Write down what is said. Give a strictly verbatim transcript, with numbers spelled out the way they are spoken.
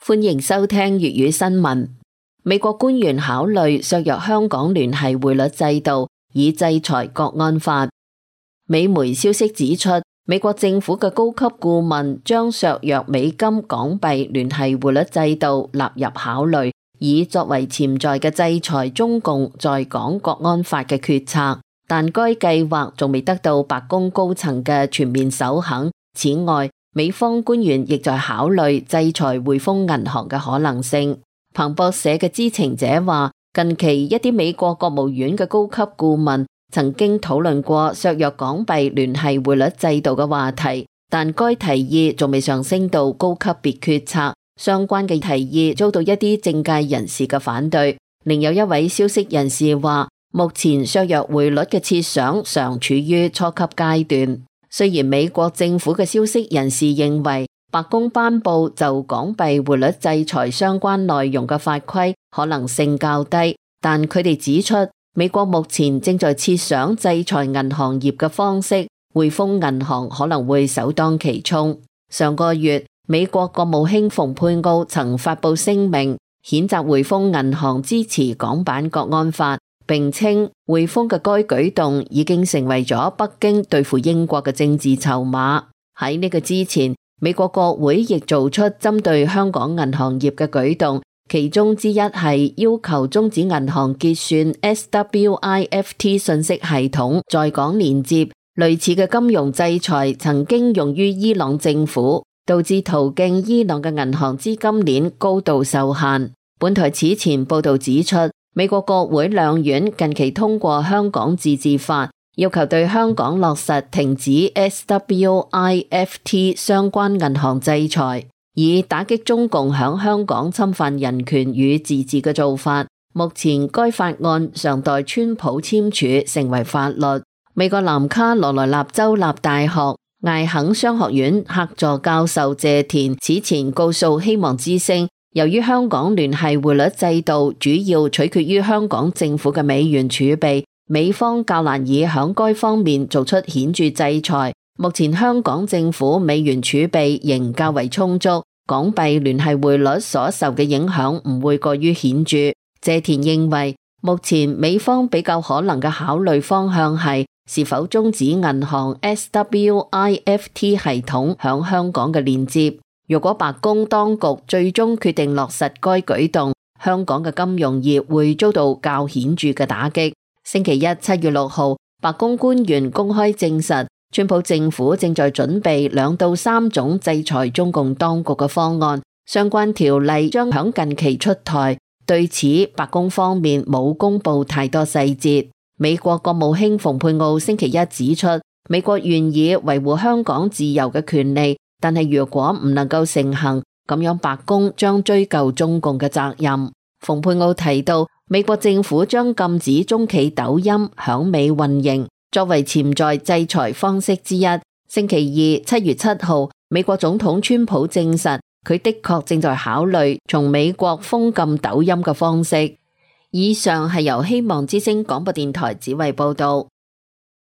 歡迎收聽粵語新聞。美國官員考慮削弱香港聯繫匯率制度，以制裁國安法。美媒消息指出，美國政府嘅高級顧問將削弱美金港幣聯繫匯率制度納入考慮，以作為潛在嘅制裁中共在港國安法嘅決策。但該計劃仲未得到白宮高層嘅全面首肯。此外，美方官員亦在考慮制裁匯豐銀行嘅可能性。彭博社嘅知情者話，近期一啲美國國務院嘅高級顧問曾經討論過削弱港幣聯繫匯率制度嘅話題，但該提議仲未上升到高級別決策。相關嘅提議遭到一啲政界人士嘅反對。另有一位消息人士話，目前削弱匯率嘅設想尚處於初級階段。雖然美國政府嘅消息人士認為，白宮頒布就港幣匯率制裁相關內容嘅法規可能性較低，但佢哋指出，美國目前正在設想制裁銀行業嘅方式，匯豐銀行可能會首當其衝。上個月，美國國務卿蓬佩奧曾發布聲明，譴責匯豐銀行支持港版國安法，並稱匯豐嘅該舉動已經成為咗北京對付英國嘅政治籌碼。喺呢個之前，美國國會亦做出針對香港銀行業嘅舉動，其中之一係要求終止銀行結算 S W I F T 信息系統在港連接。類似嘅金融制裁曾經用於伊朗政府，導致途徑伊朗嘅銀行資金鏈高度受限。本台此前報道指出，美國國會兩院近期通過香港自治法，要求對香港落實停止 S W I F T 相關銀行制裁，以打擊中共響香港侵犯人權與自治嘅做法。目前該法案尚待川普簽署成為法律。美國南卡羅來納州立大學艾肯商學院客座教授謝田此前告訴希望之聲，由於香港聯繫匯率制度主要取決於香港政府嘅美元儲備，美方較難以響該方面做出顯著制裁。目前香港政府美元儲備仍較為充足，港幣聯繫匯率所受嘅影響唔會過於顯著。謝田認為，目前美方比較可能嘅考慮方向係是否終止銀行 S W I F T 系統響香港嘅連接。如果白宮當局最終決定落實該舉動，香港嘅金融業會遭到較顯著嘅打擊。星期一七月六號，白宮官員公開證實，川普政府正在準備兩到三種制裁中共當局嘅方案，相關條例將響近期出台。對此，白宮方面冇公布太多細節。美國國務卿蓬佩奧星期一指出，美國願意維護香港自由嘅權利，但係如果唔能夠成行，咁樣白宮將追究中共嘅責任。蓬佩奧提到，美國政府將禁止中企抖音響美運營，作為潛在制裁方式之一。星期二七月七號，美國總統川普證實，佢的確正在考慮從美國封禁抖音嘅方式。以上係由希望之聲廣播電台指揮報道。